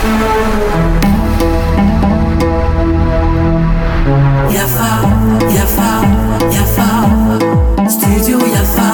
Yafa, Yafa, Yafa, Studio Yafa.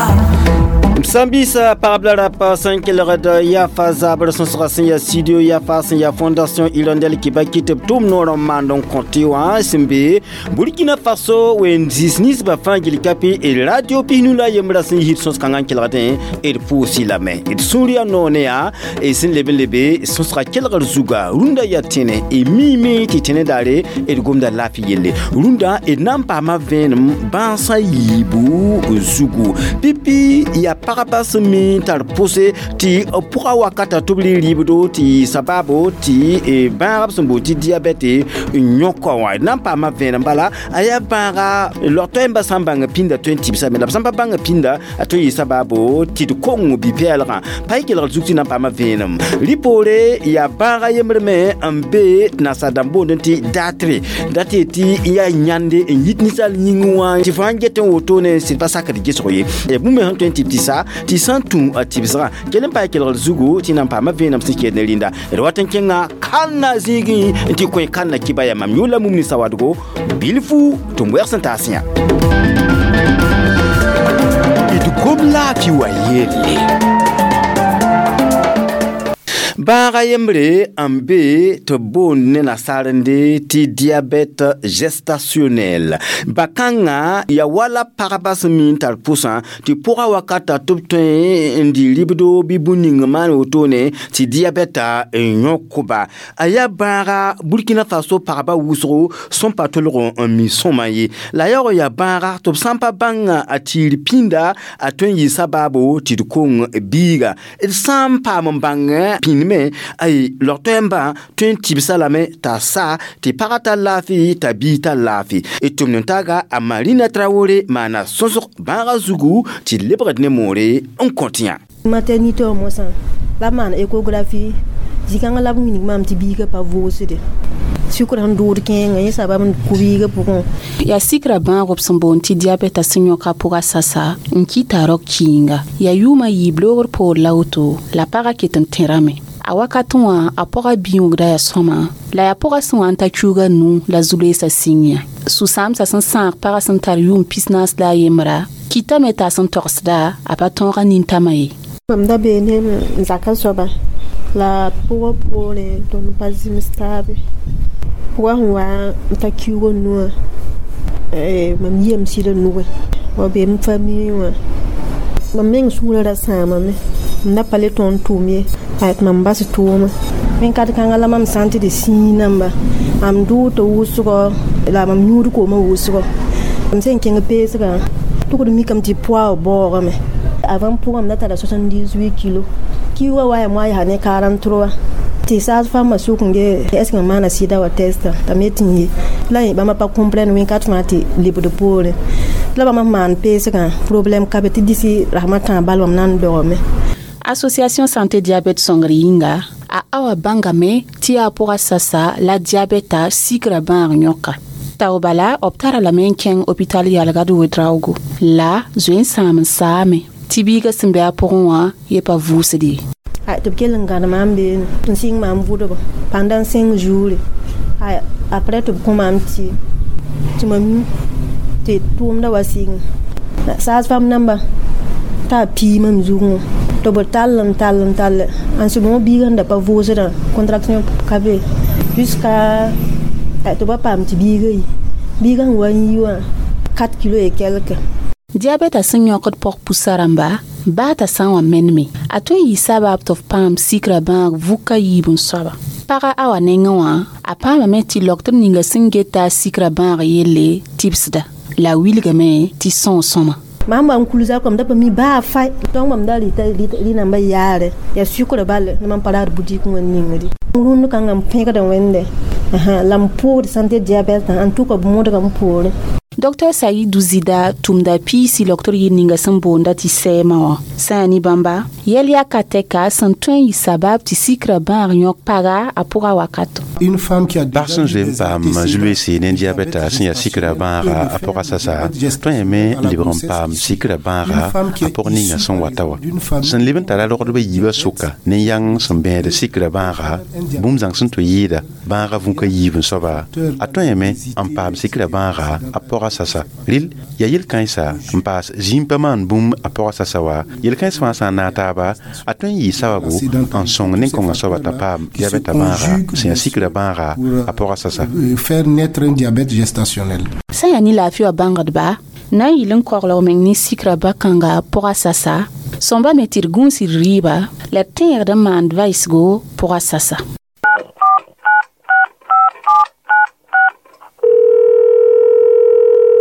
Sãn-biisã pagb la rapa sẽn kelgd Yafa zabr sõsga sẽn yaa studio Yafa sẽn yaa Fondation Hirondelle Kibaki tɩ b tʋm noor n maand n kõ tɩ wã sẽn be Burkina Faso wen-zĩis ninsbã fãa gil kapi d radio 51 la yembrã sẽn yit sõs-kãngã n kelgdẽ d pʋʋsɩ lame d sũur yaa noor ne yaa d sẽn leb n lebe sõsga kelgr zuga rũndã yaa tẽne d miime tɩ tẽne daare d gomda laafɩ yelle rũndã d na n paama vẽenem bãasã yiibu zugu pipi yaa pagba sẽn mi n tar pʋse tɩ pʋga wakata tɩ b rɩ rɩɩbdo tɩ sababo tɩ bãagb sẽn boond tɩ diabɛte n yõka wã d na n paama vẽenem bala a yaa bãaga log-toɛɛmbã sã n bãng pĩnda tõe n tɩbsame la b sã n pa bãng pĩnda a tõe n yɩ sababo tɩ d kong bi-pɛɛlgã pa y kelgr zug tɩ na n paama vẽenem rɩ-poore yaa bãaga yembr me n be nasaar-dãmb boondẽ tɩ datre dat yetɩ n yaa yãnde n yit ninsaal yĩngẽ wã tɩ fo sãn get n wotone sɩd pa sakd gesg ye ya bũmb sẽn tõe n tɩ b tɩ sa tɩ sã n tũ a tɩbsgã kell n pa kelgr zugu tɩ na n paama vẽenem sẽn kɛɛd ne rĩnda d wat n kẽnga kãnna zĩigẽ n tɩ kõ kãnna kiba yaa mam yʋʋr la mumni sawadgo bilfu tɩ m wɛgs n taas yã d gom laafɩ wa yelle. Bãaga yembre n be tɩ b boond ne nasaarende tɩ diabète gestationnel ba-kãngã yaa wala pagba sẽn mi n tar pʋsã tɩ pʋga wakata tɩ b tõe n dɩ ribdo bɩ bũn ning n maan wotone tɩ diabɛta n yõk-ba a yaa bãaga Burkina Faso pagba wʋsgo sẽn pa tolg n mi sõma ye la yaoog yaa bãaga tɩ b sã n pa bãng a tiir pĩnda a tõe n yɩ sabaabo tɩ d kong biiga d sã n paam n bãng pĩnd me ay log-toɛɛmbã tõe n tɩbsa lame t'a sa tɩ pagã tar laafɩ t'a biig tar laafɩ d tʋmd n taaga a Marina Traoré maana sõsg bãagã zugu tɩ d lebgd ne moore n kõt yã. Maternité wã mosã la b maan échographie zĩ-kãngã la b wilg maam tɩ biigã pa vʋʋsde sʋkr sẽn dʋʋd kẽengã yẽ sabab n kʋ biigã pʋgẽ. Yaa sikra bãag b sẽn boond tɩ diabɛta sẽn yõka pʋga sasa n kɩta rao kɩɩnga yaa yʋʋmã yiib loogr poor la woto la pagã ket n tẽrame a wakatẽ wã a pʋga bĩoogda yaa sõma la yaa pʋga sẽn wa n ta kiuga nu la zu-loeesã sĩng yã sũ-sãamsã sẽn sãag pagã sẽn tar yʋʋm 41 kɩtame t'a sẽn togsda a pa tõoga nintãmã ye. Mam da bee ne n zaka soaba la pʋgã poorẽ tõnd pa zĩms taabe pʋgã sẽn wa n ta kiuga nuwã mam yiyame sɩda nugẽ wa bee m famille wã mam meng sũurã ra sãamame m da pa le tõnd tʋʋm ye tɩ mam bas tʋʋma wẽn-kat kãngã la mam sã n tɩ d sĩig namba mam dʋʋta wʋsgɔ la mam yũud koomã wʋsgɔ m sẽn kẽng peesgã tʋgd mikame tɩ poa baoogame avant pʋgã m da tara 78 kilo kiuga wa yaa moa yaa ne 43 tɩ saas fãmbã sʋk n ge est ce que mam maana sɩda wa testa t'a me tɩ n ye la bãmba pa comprendre wẽn-kat fãa tɩ lebd poorẽ la bãmba maan peesgã problème ka be tɩ dɩsɩ rasmã tãag bal mam na n dogame. Association santé diabète sõngr yĩnga a awa bãngame tɩ yaa pʋga sasa la diabɛta sikra bãag yõka tao bala b tara lame n kẽng hôpital yalgad wedraoogo la zoe n sãam n saame tɩ biigã sẽn be a pʋgẽ wã ye pa vʋʋsd ye. Tɩ b kell n gãd maam beene n sɩng maam vʋdba pendant 5 jours après tɩ b kõ maam tɩ mam yũ tɩ tʋʋmda wa sɩng saas fam namba t'a pii mam zugẽ tɩ b tall n tall n tall en ce moment biigã sẽn da pa vʋʋsdã contraction ka be jusqu'à tɩ ba paam tɩ biigã yi biigã sẽn wa n yi wã 4 kilo et quelque. Diabɛta sẽn yõkd pɔg pusa rãmba baa t'a sã n wa meneme a tõe n yɩ sabab tɩ f paam sikra bãag vuka yiib n soaba pagã awa nengẽ wã a paamame tɩ logtr ninga sẽn geta a sikra bãag yelle tɩbsda la a wilgame tɩ sõo sõma. Mam wa n kul zakã mam da pa mi baa fay donc mam da rɩta rɩ namba yaare yaa sʋkra bal ne mam pa raad boutique wã ningdi rũnd kãngã m pẽgda wẽnde la m pʋʋgd santé diabète en tout cas b modga m poorẽ. Dr Saidou Zida tʋmda piisi logtr yir ninga sẽn boonda tɩ sɛɛmã wã sã yaa ne bãmba yɛl yaka tɛka sẽn tõe n yɩ sabab tɩ sikrã bãag yõk paga a pʋga wakato. Bag sẽn zoe n paam zu-loeese ne diabɛta sẽn yaa sikrã bãaga a pʋga sasa tõe yame n lebg n paam sikrã bãaga a pʋg ninga sẽn wata wã sẽn leb n tara rogdbã yiibã sʋka ne yãng sẽn bẽed sikrã bãaga bũmb zãng sẽn tɩ yɩɩda bãaga vũka yiib n soaba a tõe yame n paam sikrã bãaga a pʋga sasa rɩl yaa yel-kãensa n paas zĩim pa maan bũmb a pʋga sasa wa yel-kãens fãa sã n naag taaba a tõe n yɩ sababu n sõng nen-kõngã soaba t'a paam diabɛta bãaga sẽn yaa sikrã bãaga a pʋga sasa. Faire naître un diabète gestationnel. Sã yaa ne laafɩ wã bãngdba na n yɩl n koglg meng ne sikrã ba-kãnga pʋga sasa sõmba me tɩ d gũus d rɩɩba la d tẽegd n maand vaɩsgo pʋga sasa.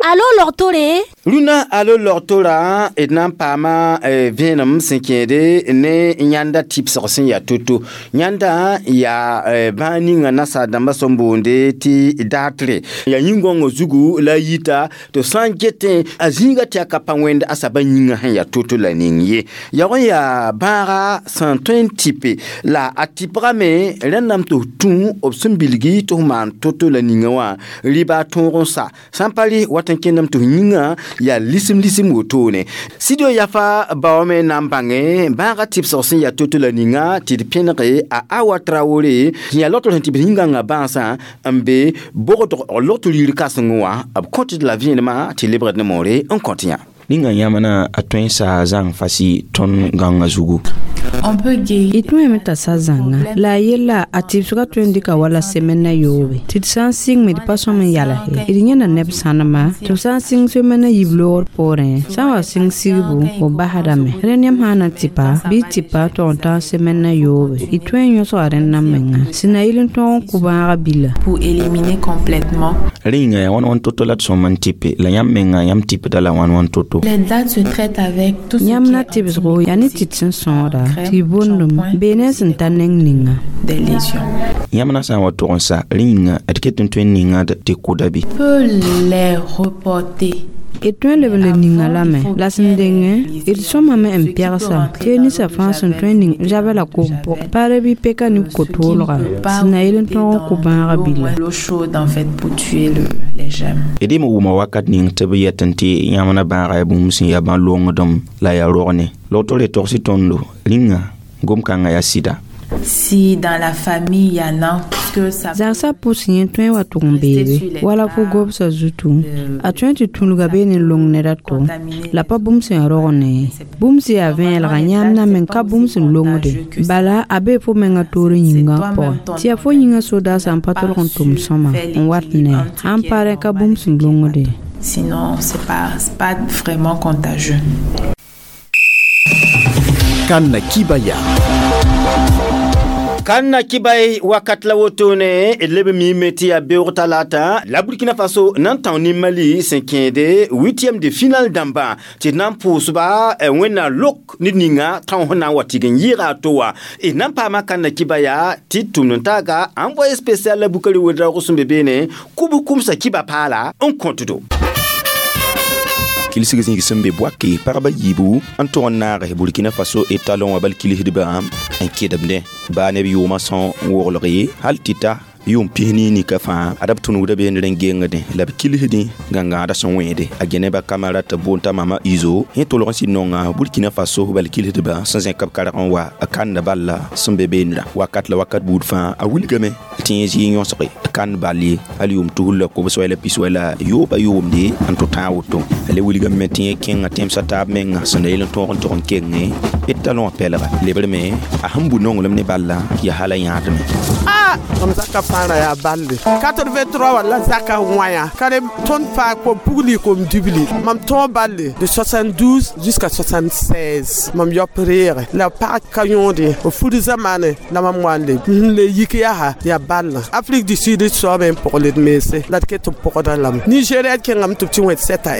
Alo logtore? Rũnã alo logtora d na n paama vẽenem sẽn kẽede ne yãnda tɩbsg sẽn yaa to-to yãnda yaa bãag ninga nasaar-dãmbã sẽn boonde tɩ daatre yaa yĩn-gõngã zugu la a yita tɩ sã n getẽ a zĩiga tɩ a ka pa wẽnd a saba yĩngã sẽn yaa to-to la ning ye yag n yaa bãaga sẽn tõe n tɩpe la a tɩpgame rẽndame tɩ f tũ b sẽn bilgi tɩ f maan to-to la ninga wã rɩba tõog n sa sã n pa rɩ wat n kẽndame tɩ f yĩngã yaa lisem lisem wotone Studio Yafa baoome na n bãnge bãaga tɩbsg sẽn yaa to-to la ninga tɩ d pẽnege a Awa Traoré sẽn yaa logtr sẽn tɩ b yĩngãngã bãasã n be bogdg logtr yir kãseng wã b kõt d la vẽenemã tɩ lebgd ne moore n kõt yã. Ninga yãmb a tõe n saa zãng fasi tõnd gãngã zugu. Y tõeme t'a sa zãnga la a yella a tɩbsgã tõe n dɩka wala semɛnã yoobe tɩ d sã n sɩng me d pa sõm n yalse d yẽna neb sãnema tɩ b sã n sɩng semɛnã yiib loogr poorẽ sã n wa sɩng sigbu b basdame rẽnd yãmb sã n na tɩpa bɩ tɩpa tog n tã semɛnã yoobe y tõe n yõsga rẽndã menga sẽn na yɩl n tõog n kʋ bãaga bila. Pour éliminer complètement. Rẽ yĩnga yaa wãn-wãn to-to la d sõm n tɩpe la yãmb menga yãmb tɩpda la wãn-wãn to-to. Les dates se traitent avec tout ce yãmb na tɩbsgo yaa ne tɩt sẽn sõoda tɩ bondem bee ne sẽn ta neng ninga. Des lésions. Yãmb na sã n wa tog n sa rẽ yĩnga d ket n tõe n ninga tɩ kʋda bɩ. Peut les reporter. D tõe n leb n le ninga lame la sẽn dengẽ d sõmame n pɛgsa tɩ ninsã fãa sẽn tõe n ning zabɛ la kom pʋgẽ paare bɩ peka ne ko-toolga sẽn na yel n tõog n kʋ bãagã bila. L'eau chaude en fait pour tuer les germes. D me wʋma wakat ning tɩ b yet n tɩ yãmb na bãaga yaa bũmb sẽn yaa bã-longdem la yaa rogne logtr re togs tõndo rĩnga gom-kãngã yaa sɩda. Si dans la famille y en a que ça zagsã pʋs yẽ tõe n wa tʋg n beebe wala fo gobsã zutu a tõe tɩ tũlga bee ne long ned a to la pa bũmb sẽn rog ne bũmb sẽn yaa vẽelga yãmb na meng ka bũmb sẽn longde bala a bee fo mengã toor yĩngã pʋgẽ tɩ yaa fo yĩngã sodaasã n pa tolg n tʋm sõma n wat ne sãn pa rẽ ka bũmb sẽn longde. Sinon c'est pas vraiment contagieux. Kanna Kibaya. Kanna kibay wakat la wotone d leb miime tɩ yaa beoog talata la Burkina Faso na n tão ne Mali sẽn kẽede huitième de finale dãmbã tɩ d na n pʋʋsba wẽnnaam lok ned ninga tão sẽn na n wa tɩg n yɩɩga a to wã d na n paama Kanna Kibaya tɩ tʋmd n taaga envoyé spécial la Bukari Ouedraogo sẽn be beene kʋbs kʋmsa kiba paala n kõtdo. Kilsg zĩig sẽn be boake pagba yiibu n tʋg n naag Burkina Faso étalon wã bal kilsdbã n kedemdẽ baa neb yʋʋmã sõ n woglg ye hal tɩ ta yʋʋm pis nika fãa ad b tũnugda beene rẽn gengdẽ la b kilsdẽ gãngãada sẽn wẽede a Geneba Kamara tɩ boond t'a mama Izo yẽ tolg n sɩd nonga Burkina Faso bal kilsdbã sẽn zẽk b karg n wa a kanda balla sẽn be beenrã wakat la wakat buud fãa a wilgame tɩ yẽ zɩ yõsge kand bal ye hal yʋʋm tusr la kobs wala pis wala yooba yʋʋmde n tʋ tãag woto a le wilgame tɩ yẽ kẽnga tẽmsã taab menga sẽn da yel n tõog n tʋg n kenge d talon wã pɛlga lebrme a sẽn bu nonglem ne balla yaa hala yãadme. Mam zaka fãara yaa balle 83 walla zaka wãyã ka re tõnd paa kom pugli kom dibli mam tõog balle de 72 jusqu'à 76 mam yop reege la pag ka yõode b fud zamaane la mam wa n le n le yik yaa yaa ballã Afrique du Sud soabẽ n pʋgled mense la d ket n pʋgda lame Nigeria d kẽngame tɩ b tɩ wẽd 7 a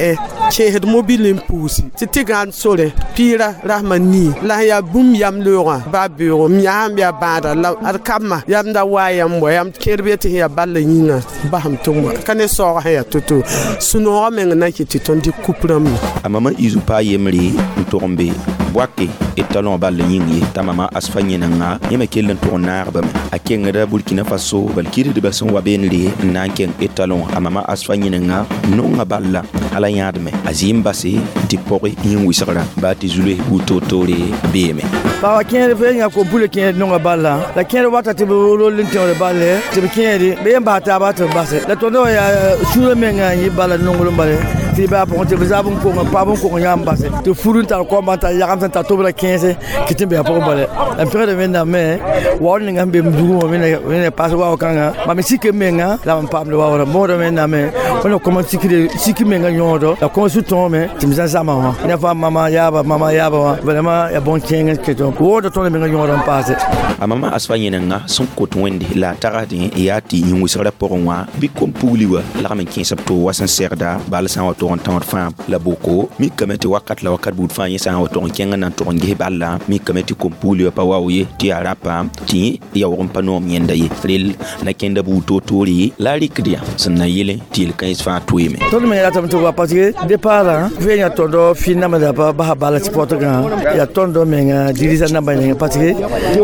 1 kẽesd mobile n puusi tɩ tɩ gãand sore pɩɩra rasmã nii la sẽn yaa bũmb yam loogã baa beoogo m yãam yaa bãada la ad kamma yamda wa Wa yãmb wa yãmb kẽer be tɩ sẽn yaa ball yĩnga basem tɩ n wa ka ne saoog sẽn yaa to-to sũ-noogã meng na n kɩt tɩ tõnd dɩk kup rãmb. A mama Izu pa yembre n tog n be Bouaké étalon ball yĩng ye t'a mama Asfa yẽnenga yẽ me kell n tʋg n naag bame. A kengda Burkina Faso bal kirsdbã sẽn wa beenre n na n kẽng étalon. A mama Asfa yẽnenga nonga balla ala yãadme a zɩɩm base tɩ pɔge yĩng wɩsgrã baa tɩ zu-loes buud toor-toore beeme. Paga kẽer fo yã kom pule kẽer nonga balla la kẽer wata tɩ b rol n tẽoore balle tɩ b kẽeri b yẽ bas taaba tɩ b base la tõnd wã yaa sũurã menga n yɩ bala nonglem bale tɩ baa pʋgẽ tɩ b zab n kong paab n kong yãmb base tɩ fur n tar koamba n tar yagem sẽn tar tobra kẽese kɩ tɩ n be a pʋgẽ bale. La m pẽgda wẽnnaam me waoor ninga sẽn be m dugẽ wã wẽnna paas wao kãnga mam sik m menga la m paamd waoora bõoda wẽnnaam me wẽnna koma sik menga yõodo la kõ su-tõome tɩ m zã zãma wã ne fãa mama yaaba mama yaaba wã vraiment yaa bõn-kẽeng kɩ woogda tõnd menga yõoda n paase. A mama Asfa yẽnenga sẽn kot wẽnde la a tagsdẽ yaa tɩ yĩn wɩsgrã pʋgẽ wã bɩ kom-pugli wã lagm n kẽes b toog wa sẽn segda bal sã n wa tog n tãood fãa la boko mikame tɩ wakat la wakat buud fãa yẽ sã n wa tog n kẽng n na n tog n ges balla mikame tɩ kom-pugli wã pa wao ye tɩ yaa rapa tɩ yaoog n pa noom yẽnda ye rel na kẽnda buud toor-toore la a rɩkd yã sẽn na yele tɩ yel-kãens fãa toeeme. Tõnd me ratame tɩ wa parce que départ fo yã tõndo fɩ namda pa basa bala tɩ pɔtgã yaa tõndo menga dirisa namba ninga parce que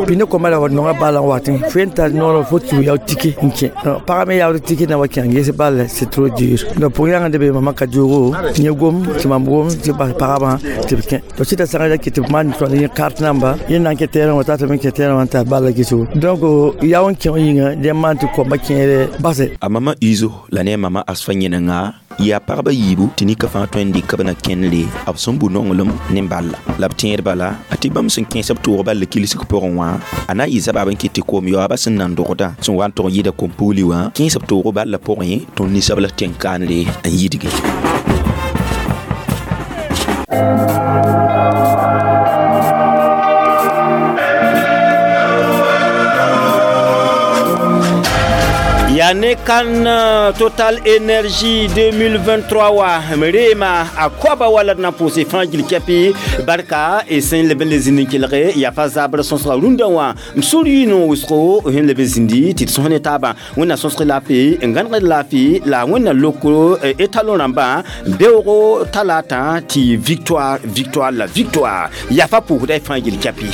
pine koma la wa nonga bala n watẽ fo yẽn tar noor fo tɩ yao tike n kẽ pagã me yaood tike na wa kẽ n ges bal c'est trop dur. Donc pʋg yãng de be mama ka diogo yẽ gom tɩ mam gom tɩ bas pagabã tɩ b kẽ to sɩda sãga ya kɩ tɩ b maan tõnd yẽ carte namba yẽ na n kẽ terrain wã tata me kẽ terrain wã n tar balla gesgo donc yao n kẽ yĩnga dẽ maan tɩ kombã kẽere base. A mama Izo la ne a mama Asfa yẽnenga yaa pagba yiibu tɩ nika fãa tõe n dɩka b na kẽnere b sẽn bu nonglem ne balla la b tẽed bala a tɩ bãmb sẽn kẽes b toog balla kilsg pʋgẽ wã a na n yɩ zabaab n kɩt tɩ koom yaoobã sẽn nan dogdã sẽn wa n tog n yɩɩda kom-pugli wã kẽes b toog balla pʋgẽ tõnd ninsabl tẽn-kaanre n yidge. Yane kan Total Energy 2023 wa mrema akwaba wala na pose frangil kepi barka e sen leben les zinikilre ya fa zabre son sra runda wa msuri no usko hen leben zindi tit son taba wona son sra la fi ngan la fi la wona loko etalon ramba beoro talata ti victoire victoire la victoire ya fa pour dai frangil kepi.